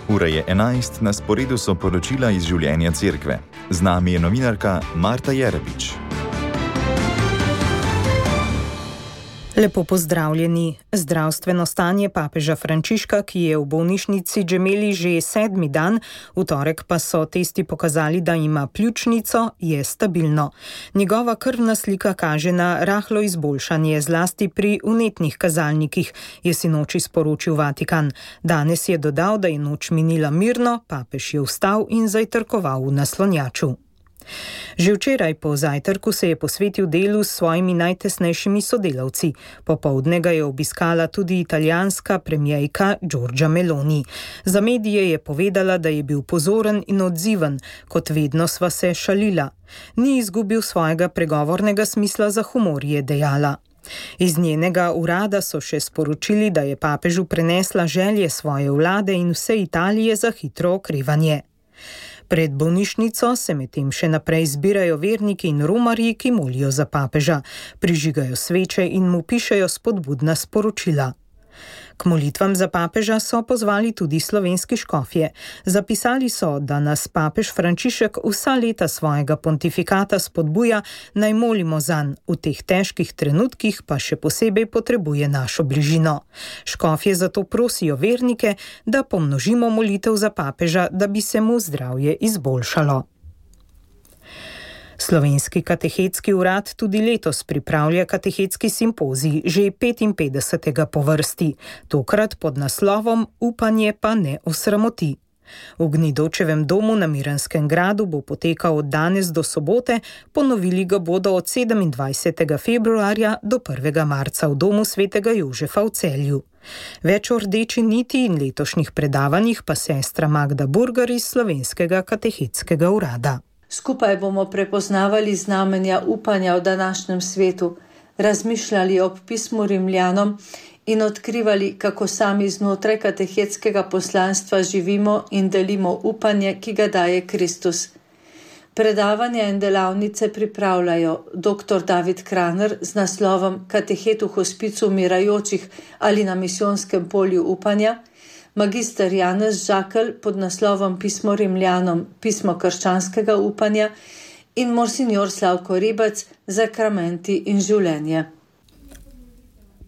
Ura je 11, na sporedu so poročila iz življenja cerkve. Z nami je novinarka Marta Jerebič. Lepo pozdravljeni. Zdravstveno stanje papeža Frančiška, ki je v bolnišnici Gemelli že 7. dan, v torek pa so testi pokazali, da ima pljučnico, je stabilno. Njegova krvna slika kaže na rahlo izboljšanje, zlasti pri vnetnih kazalnikih, je sinoči sporočil Vatikan. Danes je dodal, da je noč minila mirno, papež je vstal in zajtrkoval v naslonjaču. Že včeraj po zajtrku se je posvetil delu s svojimi najtesnejšimi sodelavci. Popoldne ga je obiskala tudi italijanska premierka Giorgia Meloni. Za medije je povedala, da je bil pozoren in odziven, kot vedno sva se šalila. Ni izgubil svojega pregovornega smisla za humor, je dejala. Iz njenega urada so še sporočili, da je papežu prenesla želje svoje vlade in vse Italije za hitro okrevanje. Pred bolnišnico se medtem še naprej zbirajo verniki in romarji, ki molijo za papeža, prižigajo sveče in mu pišejo spodbudna sporočila. K molitvam za papeža so pozvali tudi slovenski škofje. Zapisali so, da nas papež Frančišek vsa leta svojega pontifikata spodbuja, naj molimo zanj, v teh težkih trenutkih pa še posebej potrebuje našo bližino. Škofje zato prosijo vernike, da pomnožimo molitev za papeža, da bi se mu zdravje izboljšalo. Slovenski katehetski urad tudi letos pripravlja katehetski simpozij, že 55. po vrsti, tokrat pod naslovom Upanje pa ne osramoti. V Gnidočevem domu na Miranskem gradu bo potekal od danes do sobote, ponovili ga bodo od 27. februarja do 1. marca v domu svetega Jožefa v Celju. Več o rdeči niti in letošnjih predavanjih pa sestra Magda Burgar iz Slovenskega katehetskega urada. Skupaj bomo prepoznavali znamenja upanja v današnjem svetu, razmišljali ob pismu Rimljanom in odkrivali, kako sami znotraj katehetskega poslanstva živimo in delimo upanje, ki ga daje Kristus. Predavanja in delavnice pripravljajo dr. David Kraner z naslovom Katehet v hospicu umirajočih ali na misijonskem polju upanja, magister Janez Žakelj pod naslovom Pismo Rimljanom, pismo krščanskega upanja in monsignor Slavko Ribac, Zakramenti in življenje.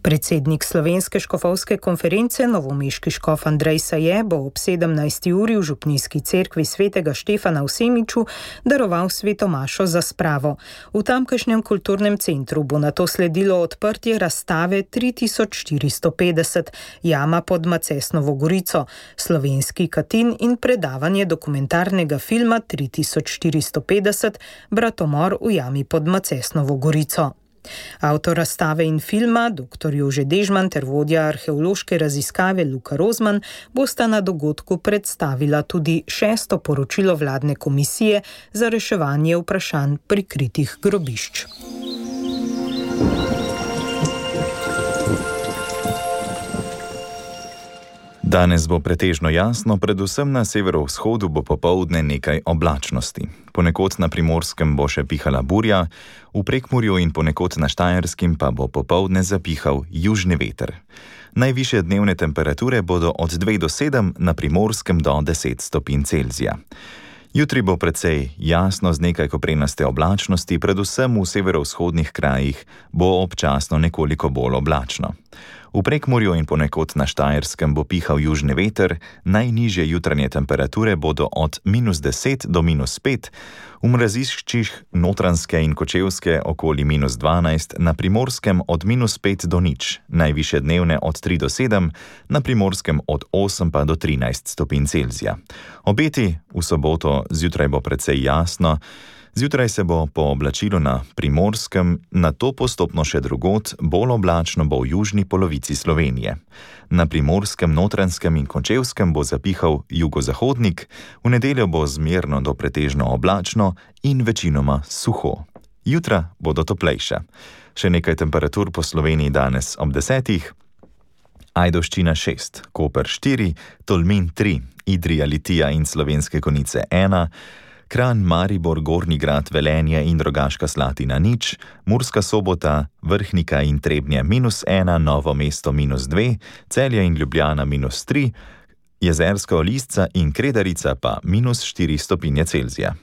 Predsednik Slovenske škofovske konference, novomeški škof Andrej Saje, bo ob 17. uri v župnijski cerkvi svetega Štefana v Semiču daroval sveto mašo za spravo. V tamkajšnjem kulturnem centru bo nato sledilo odprtje razstave 3450 Jama pod Macesnovo Gorico, slovenski Katin in predavanje dokumentarnega filma 3450 Bratomor v Jami pod Macesnovo Gorico. Avtor razstave in filma, dr. Jože Dežman ter vodja arheološke raziskave Luka Rozman, bosta na dogodku predstavila tudi 6. poročilo vladne komisije za reševanje vprašanj prikritih grobišč. Danes bo pretežno jasno, predvsem na severovzhodu bo popoldne nekaj oblačnosti. Ponekod na Primorskem bo še pihala burja, v Prekmurju in ponekod na Štajerskem pa bo popoldne zapihal južni veter. Najvišje dnevne temperature bodo od 2 do 7, na Primorskem do 10 stopinj Celzija. Jutri bo precej jasno z nekaj koprenaste oblačnosti, predvsem v severovzhodnih krajih bo občasno nekoliko bolj oblačno. V Prekmurju in ponekod na Štajerskem bo pihal južni veter, najnižje jutranje temperature bodo od -10 do -5, v mraziščih Notranjske in Kočevske okoli -12, na Primorskem od -5 do 0, najvišje dnevne od 3 do 7, na Primorskem od 8 pa do 13 stopinj Celzija. Obeti v soboto zjutraj bo precej jasno, zjutraj se bo po oblačilu na Primorskem, nato postopno še drugod, bolj oblačno bo v južni polovici Slovenije. Na Primorskem, Notranjskem in Kočevskem bo zapihal jugozahodnik, v nedeljo bo zmerno do pretežno oblačno in večinoma suho. Jutra bodo toplejša. Še nekaj temperatur po Sloveniji danes ob 10. Ajdovščina 6, Koper 4, Tolmin 3, Idrija, Litija in Slovenske Konjice 1, Kranj, Maribor, Gornji Grad, Velenje in Rogaška Slatina 0, Murska Sobota, Vrhnika in Trebnje -1, Novo mesto -2, Celje in Ljubljana -3, Jezerska Olistca in Kredarica pa -4 stopinje Celzija.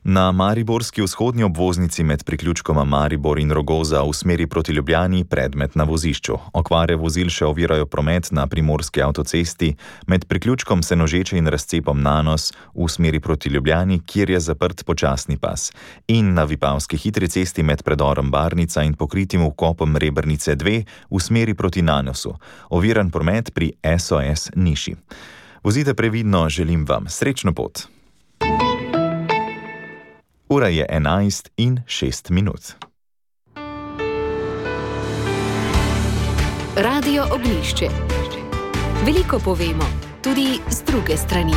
Na mariborski vzhodnji obvoznici med priključkoma Maribor in Rogoza v smeri proti Ljubljani predmet na vozišču. Okvare vozil še ovirajo promet na primorski avtocesti med priključkom Senožeče in razcepom Nanos v smeri proti Ljubljani, kjer je zaprt počasni pas, in na Vipavski hitri cesti med predorom Barnica in pokritim vkopom Rebrnice 2 v smeri proti Nanosu. Oviran promet pri SOS Niši. Vozite previdno, želim vam srečno pot. Ura je 11:06. Radio Oglišče. Veliko povemo, tudi z druge strani.